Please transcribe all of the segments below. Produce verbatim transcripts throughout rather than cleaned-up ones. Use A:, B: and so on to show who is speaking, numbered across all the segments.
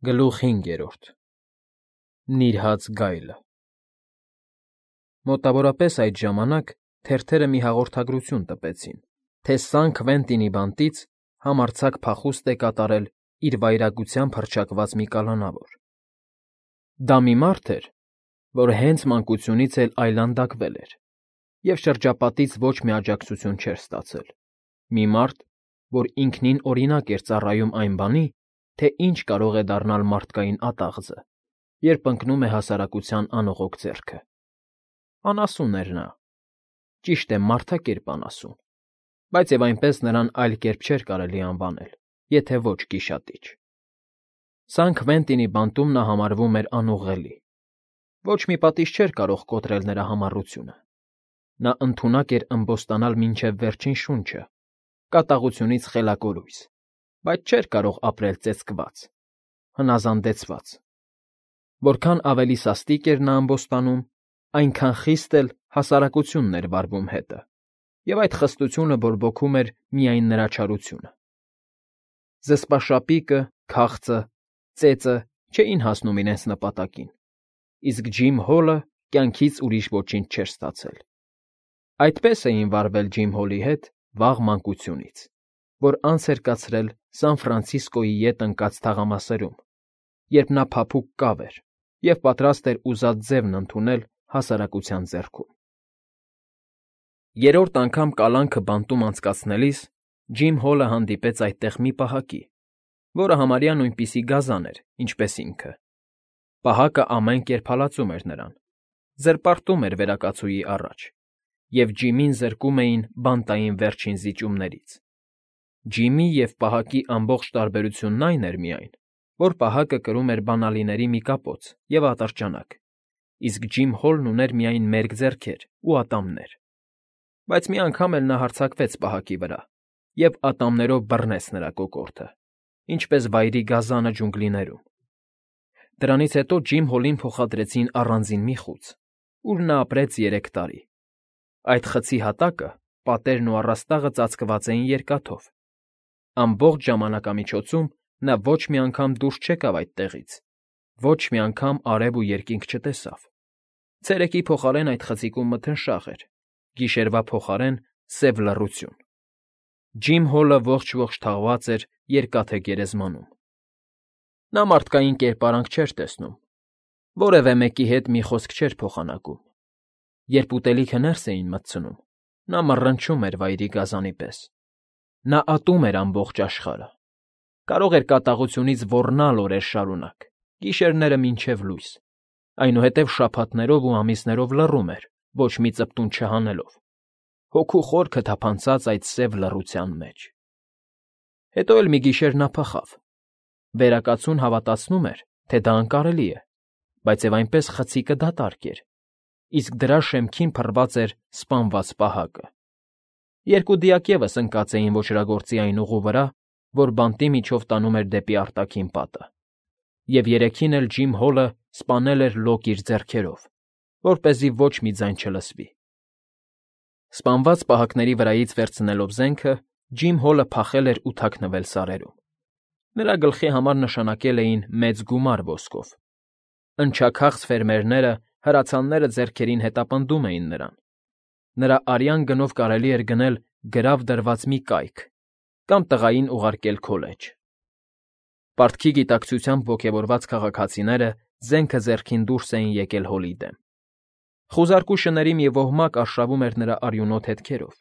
A: Գլուխ հինգերորդ Նիրհած գայլը Մոտավորապես այդ ժամանակ թերթերը մի հաղորդագրություն տպեցին, թե Սան Քվենտինի բանտից համարձակ փախուստ է կատարել իր վայրագությամբ հռչակված մի կալանավոր։ Դա մի մարդ էր, որ հենց մանկությունից էլ այլանդակվել էր և շրջապատից ոչ մի աջակցություն չէր ստացել, մի մարդ, որ ինքնին օրինակ էր ծառայում այն բանի, թե ինչ կարող է դառնալ մարդկային ատաղձը, երբ ընկնում է հասարակության անողոք ձեռքը։ Անասուն էր նա, ճիշտ է, մարդակերպ անասուն, բայց և այնպես նրան այլ կերպ չէր կարելի անվանել, եթե ոչ գիշատիչ։ Սան Քվենտինի բանտում նա համարվում էր անուղղելի։ Ոչ մի պատիժ չէր կարող կոտրել նրա համառությունը։ Նա ընդունակ էր ըմբոստանալ մինչև վերջին շունչը, կատաղությունից խելակորույս, բայց չէր կարող ապրել ծեծկված, հնազանդեցված։ Որքան ավելի սաստիկ էր նա ամբոստանում, այնքան խիստ էլ հասարակությունն էր վարվում հետը, և այդ խստությունը բորբոքում էր միայն նրա չարությունը։ Զսպաշապիկը, քաղցը, ծեծը չէին հասնում իրենց նպատակին, իսկ Ջիմ Հոլը կյանքից ուրիշ ոչինչ չէր ստացել։ Այդպես էին վարվել Ջիմ Հոլի հետ վաղ մանկությունից, որ անց էր կացրել Սան Ֆրանցիսկոյի ետ ընկած թաղամասերում, երբ նա փափուկ կավ էր և պատրաստ էր ուզած ձևն ընդունել հասարակության ձեռքում։ Երրորդ անգամ կալանքը բանտում անցկացնելիս Ջիմ Հոլը հանդիպեց այդտեղ մի պահակի, որը համարյա նույնպիսի գազան էր, ինչպես ինքը։ Պահակը ամեն կերպ հալածում էր նրան, զրպարտում էր վերակացուի առաջ, և Ջիմին զրկում էին բանտային վերջին զիջումներից։ Ջիմի և պահակի ամբողջ տարբերությունն այն էր միայն, որ պահակը կրում էր բանալիների մի կապոց և ատրճանակ, իսկ Ջիմ Հոլն ուներ միայն մերկ ձեռքեր ու ատամներ։ Բայց մի անգամ էլ նա հարձակվեց պահակի վրա և ատամներով բռնեց նրա կոկորդը, ինչպես վայրի գազանը ջունգլիներում։ Դրանից հետո Ջիմ Հոլին փոխադրեցին առանձին մի խուց, ուր նա ապրեց երեք տարի։ Այդ խցի հատակը, պատերն ու առաստաղը ծածկված էին երկաթով։ Ամբողջ ժամանակամիջոցում նա ոչ մի անգամ դուրս չեկավ այդտեղից, ոչ մի անգամ արև ու երկինք չտեսավ։ Ցերեկի փոխարեն այդ խցիկում մթնշաղ էր, գիշերվա փոխարեն՝ սև լռություն։ Ջիմ Հոլը ողջ֊ողջ թաղված էր Երկաթե Գերեզմանում։ Նա մարդկային կերպարանք չէր տեսնում, որևէ մեկի հետ մի խոսք չէր փոխանակում։ Երբ ուտելիքը ներս էին մտցնում, նա մռնչում էր վայրի գազանի պես։ Նա ատում էր ամբողջ աշխարհը։ Կարող էր կատաղությունից ոռնալ օրեր շարունակ, գիշերները մինչև լույս, այնուհետև շաբաթներով ու ամիսներով լռում էր, ոչ մի ծպտուն չհանելով, հոգու խորքը թափանցած այդ սև լռության մեջ։ Հետո էլ մի գիշեր նա փախավ։ Վերակացուն հավատացնում էր, թե դա անկարելի է, բայց և այնպես խցիկը դատարկ էր, իսկ դրա շեմքին փռված էր սպանված պահակը։ Երկու դիակ ևս ընկած էին ոճրագործի այն ուղու վրա, որ բանտի միջով տանում էր դեպի արտաքին պատը, և երեքին էլ Ջիմ Հոլը սպանել էր լոկ իր ձեռքերով, որպեսզի ոչ մի ձայն չլսվի։ Սպանված պահակների վրայից վերցնելով զենքը, Ջիմ Հոլը փախել էր ու թաքնվել սարերում։ Նրա գլխի համար նշանակել էին մեծ գումար ոսկով։ Ընչաքաղց ֆերմերները, հրացանները ձեռքերին հետապնդում էին նրան։ Նրա արյան գնով կարելի էր գնել գրավ դրված մի կայք կամ տղային ուղարկել քոլեջ։ Պարտքի գիտակցությամբ ոգևորված քաղաքացիները զենքը ձեռքին դուրս էին եկել Հոլի դեմ։ Խուզարկու շների մի ոհմակ արշավում էր նրա արյունոտ հետքերով,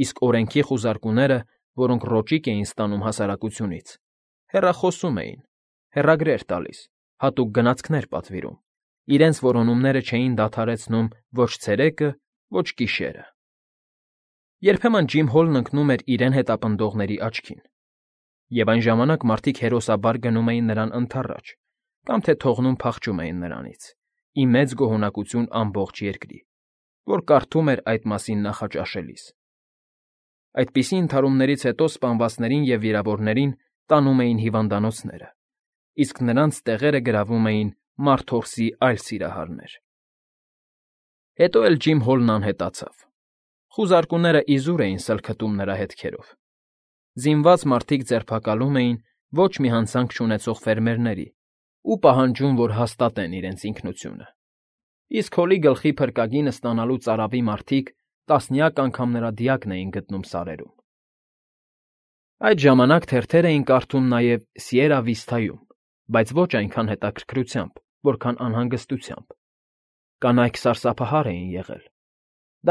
A: իսկ օրենքի խուզարկուները, որոնք ռոճիկ էին ստանում հասարակությունից, հեռախոսում էին, հեռագրեր տալիս, հատուկ գնացքներ պատվիրում, իրենց որոնումները չէին դադարեցնում ոչ ցերեկը, ոչ գիշերը։ Երբեմն Ջիմ Հոլն ընկնում էր իրեն հետապնդողների աչքին, և այն ժամանակ մարդիկ հերոսաբար գնում էին նրան ընդառաջ կամ թե թողնում փախչում էին նրանից, ի մեծ գոհունակություն ամբողջ երկրի, որ կարդում էր այդ մասին նախաճաշելիս։ Այդպիսի ընդհարումներից հետո սպանվածներին և վիրավորներին տանում էին հիվանդանոցները, իսկ նրանց տեղերը գրավում էին մարդորսի այլ սիրահարներ։ Հետո էլ Ջիմ Հոլն անհետացավ։ Խուզարկուները իզուր էին սլքտում նրա հետքերով։ Զինված մարդիկ ձերբակալում էին ոչ մի հանցանք չունեցող ֆերմերների ու պահանջում, որ հաստատեն իրենց ինքնությունը։ Իսկ Հոլի գլխի փրկագինը ստանալու ծարավի մարդիկ տասնյակ անգամ նրա դիակն էին գտնում սարերում։ Այդ ժամանակ թերթեր էին կարդում նաև Սիերա Վիստայում, բայց ոչ այնքան հետաքրքրությամբ, որքան անհանգստությամբ։ Կանայք սարսափահար էին եղել։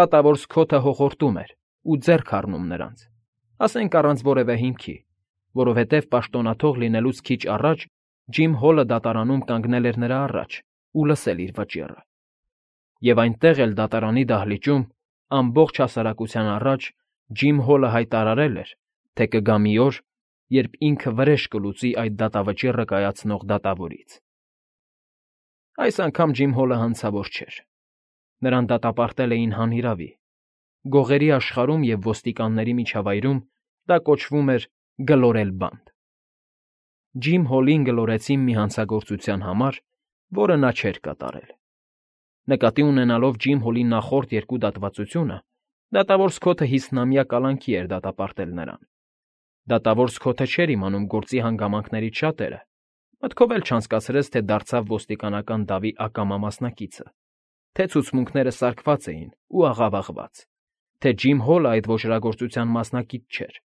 A: Դատավոր Սքոթը հոխորտում էր ու ձեռք առնում նրանց, ասենք առանց որևէ հիմքի, որովհետև պաշտոնաթող լինելուց քիչ առաջ Ջիմ Հոլը դատարանում կանգնել էր նրա առաջ ու լսել իր վճիռը։ Եվ այնտեղ էլ դատարանի դահլիճում ամբողջ հասարակության առաջ Ջիմ Հոլը հայտարարել էր, թե կգա մի օր, երբ ինքը վրեժ կլուծի այդ դատավճիռը կայացնող դատավորից։ Այս անգամ Ջիմ Հոլը հանցավոր չէր։ Նրան դատապարտել էին հանիրավի։ Գողերի աշխարհում և ոստիկանների միջավայրում դա կոչվում էր գլորել բանտ։ Ջիմ Հոլին գլորեցին մի հանցագործության համար, որը նա չէր կատարել։ Նկատի ունենալով Ջիմ Հոլի նախորդ երկու դատվածությունը, դատավոր Սքոթը հիսնամյա կալանքի էր դատապարտել նրան։ Դատավոր Սքոթը չէր իմանում գործի հանգամանքներից շատերը, մտքով էլ չանցկացրեց, թե դարձավ ոստիկանական դավի ակամա մասնակիցը, թե ցուցմունքները սարքված էին ու աղավաղված, թե Ջիմ Հոլը այդ ոճրագործության մասնակից չէր։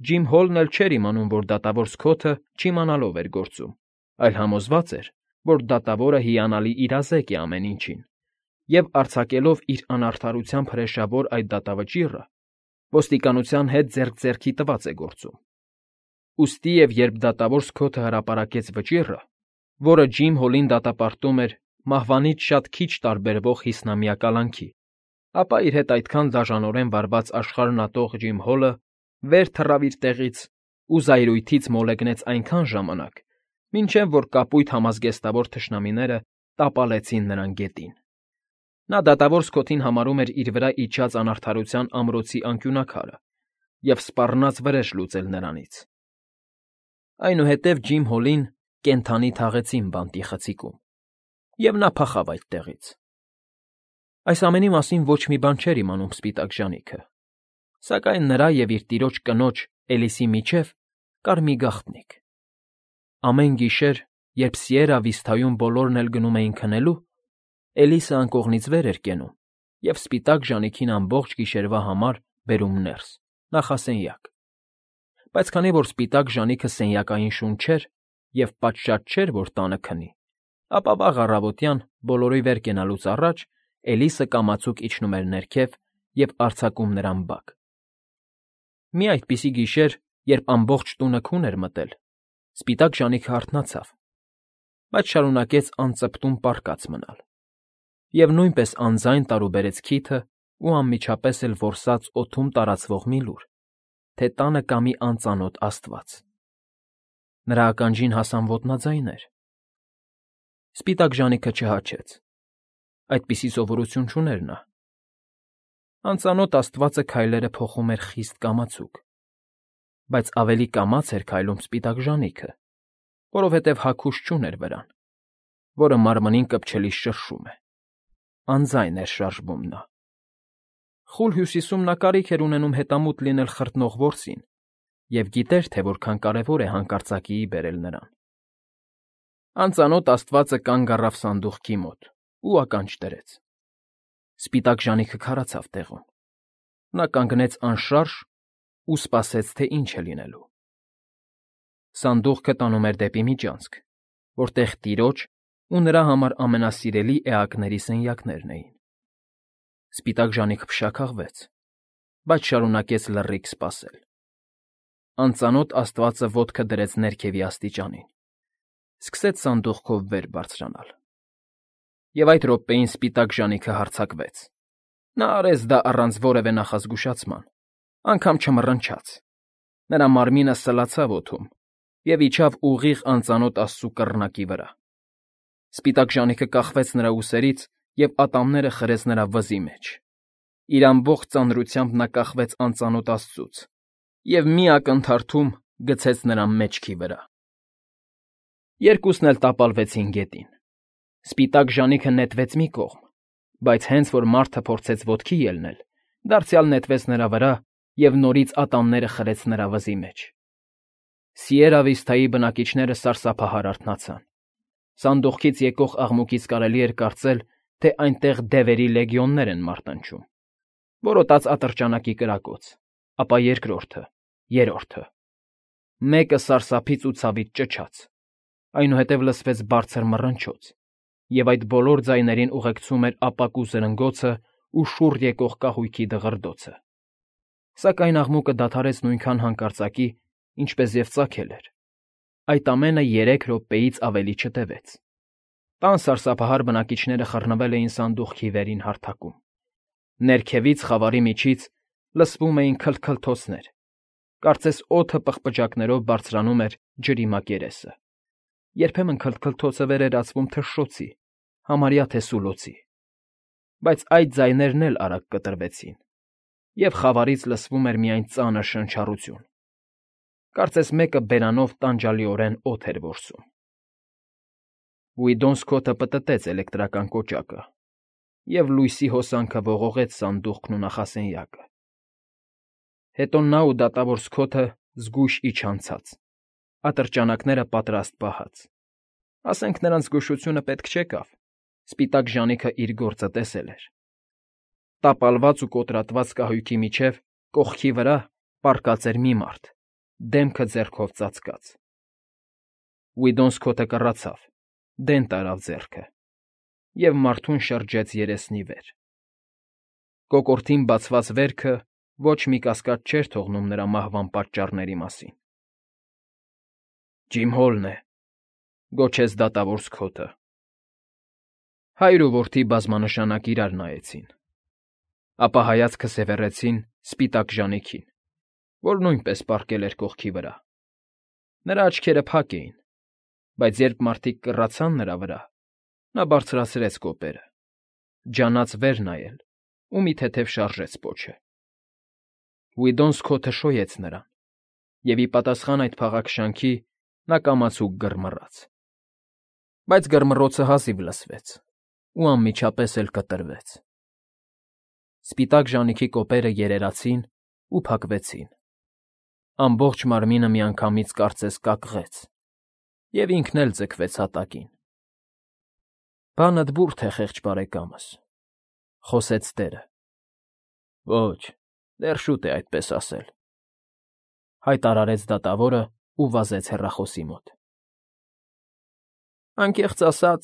A: Ջիմ Հոլն էլ չէր իմանում, որ դատավոր Սքոթը չիմանալով էր գործում, այլ համոզված էր, որ դատավորը հիանալի իրազեկ է ամեն ինչին, և արձակելով իր անարդարությամբ հրեշավոր այդ դատավճիռը, ոստիկանության հետ ձեռք ձեռքի տված է գործում։ Ուստի և երբ դատավոր Սքոթը հրապարակեց վճիռը, որը Ջիմ Հոլին դատապարտում էր մահվանից շատ քիչ տարբերվող հիսնամյա կալանքի, ապա իր հետ այդքան դաժանորեն վարված աշխարհն ատող Ջիմ Հոլը վեր թռավ իր տեղից ու զայրույթից մոլեգնեց այնքան ժամանակ, մինչև որ կապույտ համազգեստավոր թշնամիները տապալեցին նրան գետին։ Նա դատավոր Սքոթին համարում էր իր վրա իջած անարդարության ամրոցի անկյունաքարը և սպառնաց վրեժ լուծել նրանից։ Այնուհետև Ջիմ Հոլին կենդանի թաղեցին բանտի խցիկում, և նա փախավ այդտեղից։ Այս ամենի մասին ոչ մի բան չէր իմանում Սպիտակ Ժանիքը, սակայն նրա և իր տիրոջ կնոջ՝ Էլիսի միջև կար մի գաղտնիք։ Ամեն գիշեր, երբ Սիերա Վիստայում բոլորն էլ գնում էին քնելու, Էլիսը անկողնից վեր էր կենում և Սպիտակ Ժանիքին ամբողջ գիշերվա համար բերում ներս, նախասենյակ։ Բայց քանի որ Սպիտակ Ժանիքը սենյակային շուն չէր և պատշաճ չէր, որ տանը քնի, ապա վաղ առավոտյան, բոլորի վեր կենալուց առաջ Էլիսը կամացուկ իջնում էր ներքև և արձակում նրան բակ։ Մի այդպիսի գիշեր, երբ ամբողջ տունը քուն էր մտել, Սպիտակ Ժանիքը արթնացավ, բայց շարունակեց անծպտուն պառկած մնալ և նույնպես անձայն տարուբերեց քիթը ու անմիջապես էլ որսաց օդում տարածվող մի լուր, թե տանը կա մի անծանոթ աստված։ Նրա ականջին հասան ոտնաձայներ։ Սպիտակ Ժանիքը չհաչեց։ Այդպիսի սովորություն չուներ նա։ Անծանոթ աստվածը քայլերը փոխում էր խիստ կամացուկ, բայց ավելի կամաց էր քայլում Սպիտակ Ժանիքը, որովհետև հագուստ չուներ վրան, որը մարմնին կպչելիս շրշում է։ Անձայն էր շարժվում նա։ Խուլ Հյուսիսում նա կարիք էր ունենում հետամուտ լինել խրտնող որսին և գիտեր, թե որքան կարևոր է հանկարծակիի բերել նրան։ Անծանոթ աստվածը կանգ առավ սանդուղքի մոտ ու ականջ դրեց։ Սպիտակ Ժանիքը քարացավ տեղում։ Նա կանգնեց անշարժ ու սպասեց, թե ինչ է լինելու։ Սանդուղքը տանում էր դեպի միջանցք, որտեղ տիրոջ ու նրա համար ամենասիրելի էակների սենյակներն էին։ Սպիտակ Ժանիքը փշաքաղվեց, բայց շարունակեց լռիք սպասել։ Անծանոթ աստվածը ոտքը դրեց ներքևի աստիճանին, սկսեց սանդուղքով վեր բարձրանալ։ Եվ այդ րոպեին Սպիտակ Ժանիքը հարձակվեց։ Նա արեց դա առանց որևէ նախազգուշացման, անգամ չմռնչաց։ Նրա մարմինը սլացավ օդում և իջավ ուղիղ անծանոթ աստծու կռնակի վրա։ Սպիտակ Ժանիքը կախվեց նրա ուսերից և ատամները խրեց նրա վզի մեջ։ Իր ամբողջ ծանրությամբ նա կախվեց անծանոթ աստծուց և մի ակնթարթում գցեց նրան մեջքի վրա։ Երկուսն էլ տապալվեցին գետին։ Սպիտակ Ժանիքը նետվեց մի կողմ, բայց հենց որ մարդը փորձեց ոտքի ելնել, դարձյալ նետվեց նրա վրա և նորից ատամները խրեց նրա վզի մեջ։ Սիերա Վիստայի բնակիչները սարսափահար արթնացան։ Սանդուղքից եկող աղմուկից կարելի էր կարծել, թե այնտեղ դևերի լեգիոններ են մարտնչում։ Որոտաց ատրճանակի կրակոց, ապա երկրորդը, երրորդը։ Մեկը սարսափից ու ցավից ճչաց, այնուհետև լսվեց բարձր մռնչոց, և այդ բոլոր ձայներին ուղեկցում էր ապակու զրնգոցը ու շուռ եկող կահույքի դղրդոցը։ Սակայն աղմուկը դադարեց նույնքան հանկարծակի, ինչպես և ծագել էր։ Այդ ամենը երեք րոպեից ավելի չտևեց։ Տան սարսափահար բնակիչները խռնվել էին սանդուղքի վերին հարթակում։ Ներքևից, խավարի միջից լսվում էին քլթքլթոցներ, կարծես օդը պղպջակներով բարձրանում էր ջրի մակերեսը։ Երբեմն քլթքլթոցը վերերացվում թշշոցի, համարյա թե սուլոցի։ Բայց այդ ձայներն էլ արագ կտրվեցին, և խավարից լսվում էր միայն ծանր շնչառություն։ Կարծես մեկը բերանով տանջալիորեն օդ էր որսում։ Ուիդոն Սքոթը պտտեց էլեկտրական կոճակը, և լույսի հոսանքը ողողեց սանդուղքն ու նախասենյակը։ Հետո նա ու դատավոր Սքոթը զգույշ իջան ցած, ատրճանակները պատրաստ պահած։ Ասենք նրանց զգուշությունը պետք չեկավ, սպիտակ ժանիքը իր գործը տեսել էր։ Տապալված ու կոտրատված կահույքի միջև, կողքի վրա, պառկած էր մի մարդ, դեմքը ձեռքով ծածկած։ Ուիդոն Սքոթը կռացավ, դեն տարավ ձեռքը և մարդուն շրջեց երեսնի վեր։ Կոկորդին բացված վերքը ոչ մի կասկած չէր թողնում նրա մահվան պատճառների մասին։ ֊ Ջիմ Հոլն է,֊ գոչեց դատավոր Սքոթը։ Հայր ու որդի բազմանշանակ իրար նայեցին, ապա հայացքը սևեռեցին սպիտակ ժանիքին, որ նույնպես պառկել էր կողքի վրա։ Նրա աչքերը փակ էին, բայց երբ մարդիկ կռացան նրա վրա, նա բարձրացրեց կոպերը, ջանաց վեր նայել ու մի թեթև շարժեց պոչը։ Ուիդոն Սքոթը շոյեց նրան, և ի պատասխան այդ փաղաքշանքի նա կամացուկ գռմռաց։ Բայց գռմռոցը հազիվ լսվեց ու անմիջապես էլ կտրվեց։ Սպիտակ ժանիքի կոպերը երերացին ու փակվեցին։ Ամբողջ մարմինը միանգամից կարծես կակղեց, և ինքն էլ ձգվեց հատակին։ ֊ Բանդ բուրդ է, խեղճ բարեկամս,֊ խոսեց տերը։ ֊ Ոչ, դեռ շուտ է այդպես ասել,֊ հայտարարեց դատավորն ու վազեց հեռախոսի մոտ։ ֊ Անկեղծ ասած,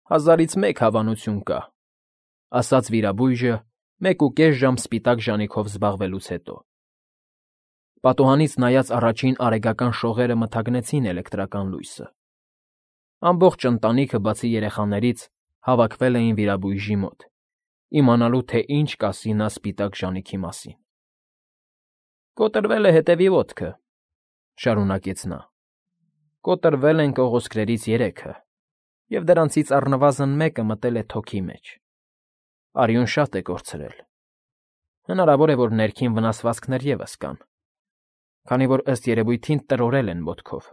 A: հազարից մեկ հավանություն կա,֊ ասաց վիրաբույժը մեկուկես ժամ սպիտակ ժանիքով զբաղվելուց հետո։ Պատուհանից նայած առաջին արեգական շողերը մթագնեցին էլեկտրական լույսը։ Ամբողջ ընտանիքը, բացի երեխաներից, հավաքվել էին վիրաբույժի մոտ, իմանալու, թե ինչ կասի նա սպիտակ ժանիքի մասին։ «Կոտրվել է հետևի ոտքը,֊ շարունակեց նա,֊ կոտրվել են կողոսկրերից երեքը, և դրանցից առնվազն մեկը մտել է թոքի մեջ։ Արյուն շատ է կորցրել։ Հնարավոր է, որ ներքին վնասվածքներ ևս կան, քանի որ ըստ երևույթին տրորել են ոտքով։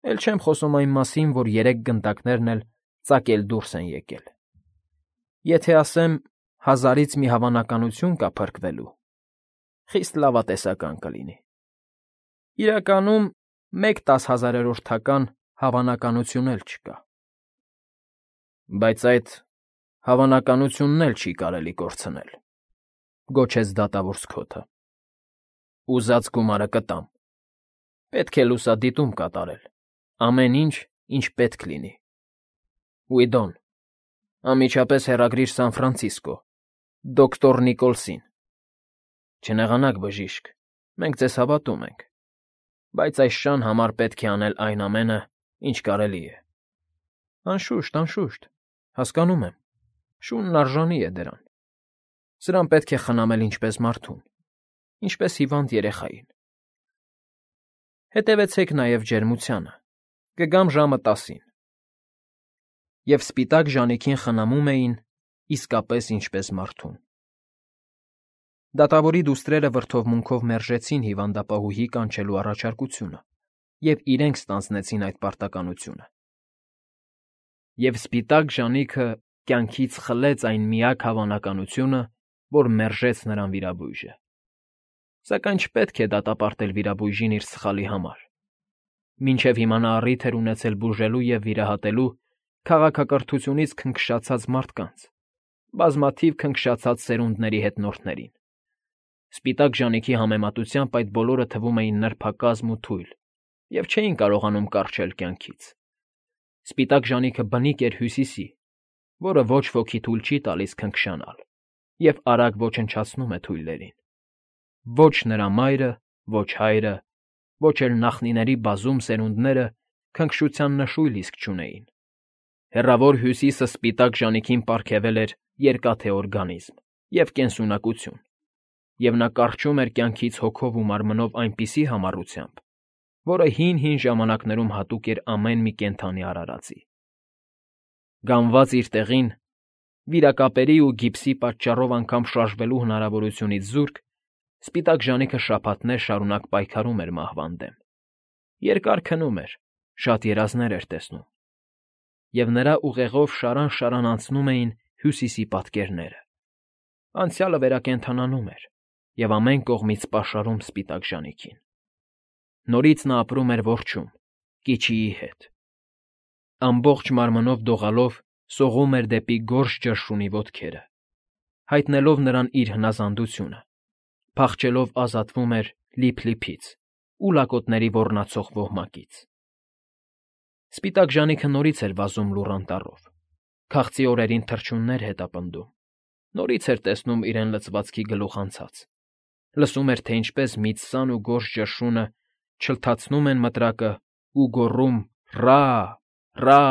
A: Էլ չեմ խոսում այն մասին, որ երեք գնդակներն էլ ծակել դուրս են եկել։ Եթե ասեմ, հազարից մի հավանականություն կա փրկվելու, խիստ լավատեսական կլինի։ Իրականում, մեկ տասհազարերորդական հավանականություն էլ չկա։ Բայց այդ հավանականությունն էլ չի կարելի կորցնել,֊ գոչեց դատավոր Սքոթը։ Ուզած գումարը կտամ։ Պետք է լուսադիտում կատարել, ամեն ինչ, ինչ պետք լինի։ Ուիդոն, անմիջապես հեռագրիր Սան Ֆրանցիսկո, դոկտոր Նիկոլսին։ Չնեղանաք, բժիշկ, մենք ձեզ հավատում ենք, բայց այս շան համար պետք է անել այն ամենը, ինչ կարելի է։ Անշուշտ, անշուշտ, հասկանում եմ, շունն արժանի է դրան։ Սրան պետք է խնամել ինչպես մարդուն, ինչպես հիվանդ երեխային։ Հետևեցեք նաև ջերմությանը, կգամ ժամը տասին։ Եվ սպիտակ ժանիքին խնամում էին իսկապես ինչպես մարդուն։ Դատավորի դուստրերը վրդովմունքով մերժեցին հիվանդապահուհի կանչելու առաջարկությունը և իրենք ստանձնեցին այդ պարտականությունը։ Եվ սպիտակ ժանիքը կյանքից խլեց այն միակ հավանականությունը, որ մերժեց նրան վիրաբույժը։ Սակայն չպետք է դատապարտել վիրաբույժին իր սխալի համար։ Մինչև հիմա նա առիթ էր ունեցել բուժելու և վիրահատելու քաղաքակրթությունից քնքշացած մարդկանց, բազմաթիվ քնքշացած սերունդների հետնորդներին։ Սպիտակ ժանիքի համեմատությամբ այդ բոլորը թվում էին նրբակազմ ու թույլ և չէին կարողանում կառչել կյանքից։ Սպիտակ ժանիքը բնիկ էր Հյուսիսի, որը ոչ ոքի թույլ չի տալիս քնքշանալ և արագ ոչնչացնում է թույլերին։ Ոչ նրա մայրը, ոչ հայրը, ոչ էլ նախնիների բազում սերունդները քնքշության նշույլ իսկ չունեին։ Հեռավոր Հյուսիսը սպիտակ ժանիքին պարգևել էր երկաթե օրգանիզմ և կենսունակություն, և նա կառչում էր կյանքից հոգով ու մարմնով այնպիսի համառությամբ, որը հին֊հին ժամանակներում հատուկ էր ամեն մի կենդանի արարածի։ Գանված իր տեղին, վիրակապերի ու գիպսի պատճառով անգամ շարժվելու հնարավորությունից զուրկ, սպիտակ ժանիքը շաբաթներ շարունակ պայքարում էր մահվան դեմ, երկար քնում էր, շատ երազներ էր տեսնում, և նրա ուղեղով շարան֊շարան անցնում էին Հյուսիսի պատկերները։ Անցյալը վերակենդանանում էր և ամեն կողմից պաշարում սպիտակ ժանիքին։ Նորից նա ապրում էր որջում, Կիչիի հետ։ Ամբողջ մարմնով դողալով սողում էր դեպի գորշ ճրշունի ոտքերը, հայտնելով նրան իր հնազանդությունը, փախչելով ազատվում էր լիփ֊լիփից ու լակոտների ոռնացող ոհմակից։ Սպիտակ ժանիքը նորից էր վազում լուռ անտառով, քաղցի օրերին թռչուններ հետապնդում, նորից էր տեսնում իրեն լցվածքի գլուխ անցած, լսում էր, թե ինչպես միծսան ու գորշ ճրշունը չլթացնում են մտրակը ու գոռում «Ռա՜, ռա՜»,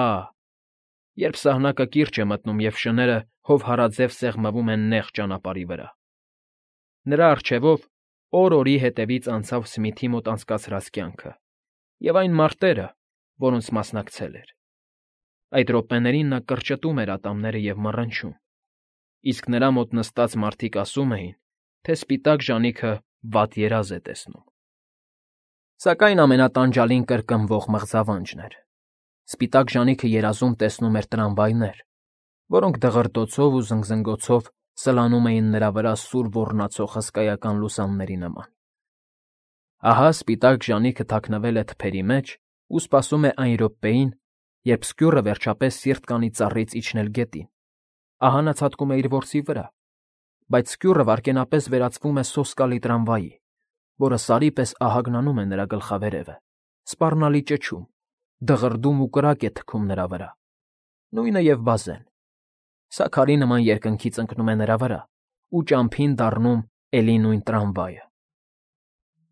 A: երբ սահնակը կիրճ է մտնում և շները հովհարաձև սեղմվում են նեղ ճանապարհի վրա։ Նրա առջևով օր֊օրի հետևից անցավ Սմիթի մոտ անցկացրած կյանքը և այն մարտերը, որոնց մասնակցել էր։ Այդ րոպեներին նա կրճտում էր ատամները և մռնչում, իսկ նրա մոտ նստած մարդիկ ասում էին, թե սպիտակ ժանիքը վատ երազ է տեսնում։ Սակայն ամենատանջալին կրկնվող մղձավանջն էր։ Սպիտակ ժանիքը երազում տեսնում էր տրամվայներ, որոնք դղրդոցով ու զնգզնգոցով սլանում էին նրա վրա սուր ոռնացող հսկայական լուսանների նման։ Ահա սպիտակ ժանիքը թաքնվել է թփերի մեջ ու սպասում է այն րոպեին, երբ սկյուռը վերջապես սիրտ կանի ծառից իջնել գետին։ Ահա նա ցատկում է իր որսի վրա, բայց սկյուռը վայրկենապես վերածվում է սոսկալի տրամվայի, որը սարի պես ահագնանում է նրա գլխավերևը, սպառնալի ճչում, դղրդում ու կրակ է թքում նրա վրա, նույնը և բազեն։ Սա քարի նման երկնքից ընկնում է նրա վրա ու ճամփին դառնում էլի նույն տրամվայը։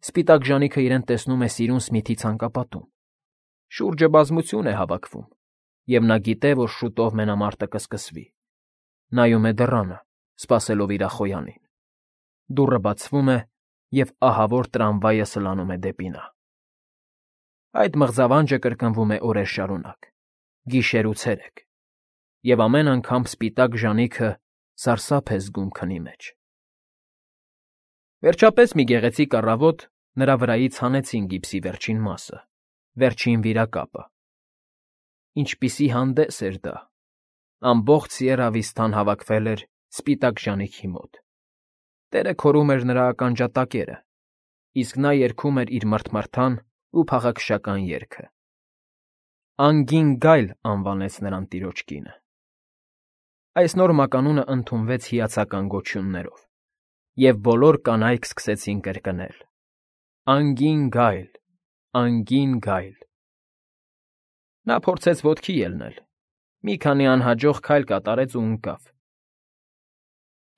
A: Սպիտակ ժանիքը իրեն տեսնում է սիրուն Սմիթի ցանկապատում։ Շուրջը բազմություն է հավաքվում, և նա գիտե, որ շուտով մենամարտը կսկսվի։ Նայում է դռանը, սպասելով իր ախոյանին։ Դուռը բացվում է, և ահավոր տրամվայը սլանում է դեպի նա։ Այդ մղձավանջը կրկնվում է օրեր շարունակ, գիշեր ու ցերեկ, և ամեն անգամ սպիտակ ժանիքը սարսափ է զգում քնի մեջ։ Վերջապես մի գեղեցիկ առավոտ նրա վրայից հանեցին գիպսի վերջին մասը, վերջին վիրակապը։ Ինչպիսի հանդես էր դա… Ամբողջ Սիերա Վիստան հավաքվել էր սպիտակ ժանիքի մոտ։ Տերը քորում էր նրա ականջատակերը, իսկ նա երգում էր իր մռթմռթան ու փաղաքշական երգը։ Անգին Գայլ անվանեց նրան տիրոջ կինը։ Այս նոր մականունը ընդունվեց հիացական գոչյուններով, և բոլոր կանայք սկսեցին կրկնել. «Անգին Գայլ, Անգին Գայլ»։ Նա փորձեց ոտքի ելնել, մի քանի անհաջող քայլ կատարեց ու ընկավ։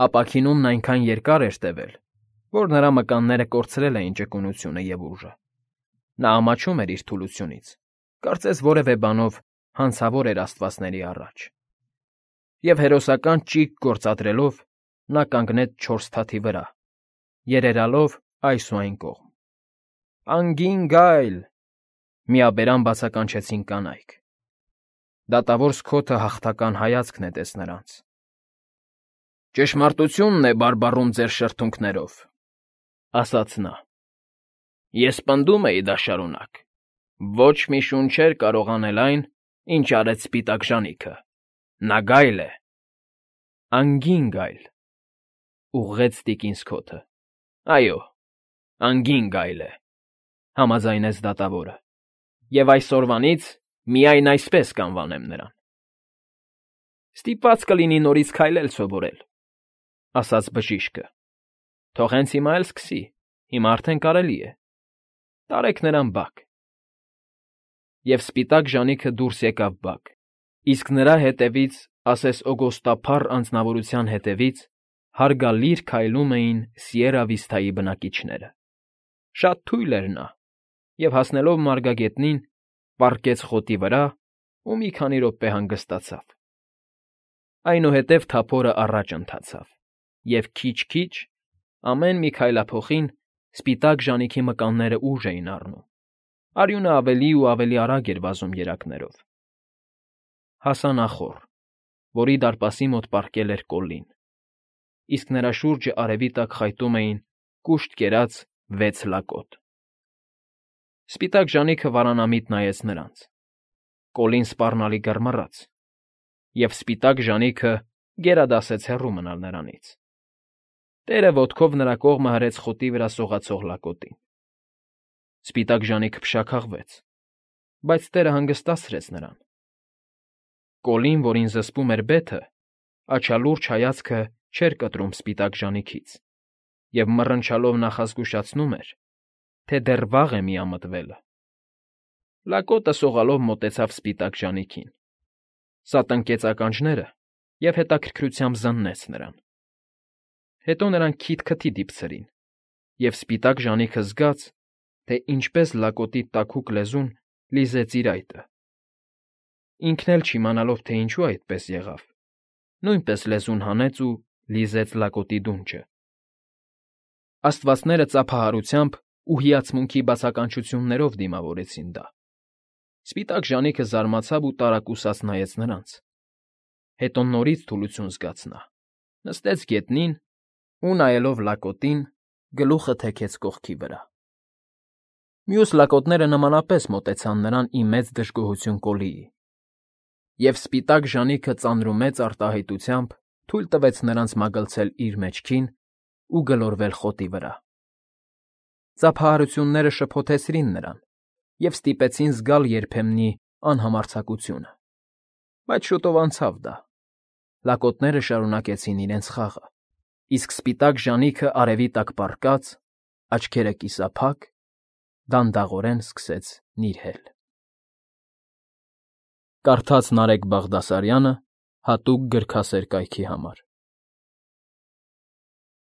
A: Ապաքինումն այնքան երկար էր տևել, որ նրա մկանները կորցրել էին ճկունությունը և ուժը։ Նա ամաչում էր իր թուլությունից, կարծես որևէ բանով հանցավոր էր աստվածների առաջ։ Եվ հերոսական ճիգ գործադրելով՝ նա կանգնեց չորս թաթի վրա, երերալով այս ու այն կողմ։ «Անգին Գայլ»… միաբերան բացականչեցին կանայք։ Դատավոր Սքոթը հաղթական հայացք նետեց նրանց։ «Ճշմարտությունն է բարբառում ձեր շրթունքներով», ֊ ասաց նա։ «Ես պնդում էի դա շարունակ. ոչ մի շուն չէր կարող անել այն, ինչ արեց սպիտակ ժանիքը։ Նա գայլ է»։ «Անգին Գայլ», ֊ ուղղեց տիկին Սքոթը։ «Այո, անգին գայլ է», ֊ համաձայնեց դատավորը։ Եվ այսօրվանից միայն այսպես կանվանեմ նրան։ Ստիպված կլինի նորից քայլել սովորել, ասաց բժիշկը։ Թող հենց հիմա էլ սկսի, հիմա արդեն կարելի է։ Տարեք նրան բակ։ Եվ սպիտակ ժանիքը դուրս եկավ բակ, իսկ նրա հետևից, ասես օգոստափառ անձնավորության հետևից, հարգալիր քայլում էին Սիերա Վիստայի բնակիչները։ Շատ թույլ էր նա, և հասնելով մարգագետնին, պառկեց խոտի վրա ու մի քանի րոպե հանգստացավ։ Այնուհետև թափորը առաջ ընթացավ, և քիչ֊քիչ, ամեն մի քայլափոխին սպիտակ ժանիքի մկանները ուժ էին առնում, արյունը ավելի ու ավելի արագ էր վազում երակներով։ Հասան ախոռ, որի դարպասի մոտ պառկել էր Կոլլին, իսկ նրա շուրջը արևի տակ խայտում էին կուշտ կերած վեց լակոտ։ Սպիտակ ժանիքը վարանամիտ նայեց նրանց։ Կոլին սպառնալի գռմռաց, և սպիտակ ժանիքը գերադասեց հեռու մնալ նրանից։ Տերը ոտքով նրա կողմը հրեց խոտի վրա սողացող լակոտին։ Սպիտակ ժանիքը փշաքաղվեց, բայց տերը հանգստացրեց նրան։ Կոլին, որին զսպում էր բեթը, աչալուրջ հայացքը չէր կտրում սպիտակ ժանիքից և մռնչալով նախազգուշացնում էր, թե դեռ վաղ է միամտվելը։ Լակոտը սողալով մոտեցավ սպիտակ ժանիքին, սա տնկեց ականջները և հետաքրքրությամբ զննեց նրան։ Հետո նրան քիթ֊քթի դիպցրին, և սպիտակ ժանիքը զգաց, թե ինչպես լակոտի տաքուկ լեզուն լիզեց իր այտը։ Ինքն էլ չիմանալով, թե ինչու այդպես եղավ, նույնպես լեզուն հանեց ու լիզեց լակոտի դունչը։ Աստվածները ծափահարությամբ ու հիացմունքի բացականչություններով դիմավորեցին դա։ Սպիտակ ժանիքը զարմացավ ու տարակուսած նայեց նրանց։ Հետո նորից թուլություն զգաց նա, նստեց գետնին ու, նայելով լակոտին, գլուխը թեքեց կողքի վրա։ Մյուս լակոտները նմանապես մոտեցան նրան ի մեծ դժգոհություն Կոլիի, և սպիտակ ժանիքը ծանրումեծ արտահայտությամբ թույլ տվեց նրանց մագլցել իր մեջքին ու գլորվել խոտի վրա։ Ծափահարությունները շփոթեցրին նրան և ստիպեցին զգալ երբեմնի անհամարձակությունը, բայց շուտով անցավ դա։ Լակոտները շարունակեցին իրենց խաղը, իսկ սպիտակ ժանիքը արևի տակ պառկած, աչքերը կիսափակ, դանդաղորեն սկսեց նիրհել։ Կարդաց Նարեկ Բաղդասարյանը հատուկ գրքասեր կայքի համար։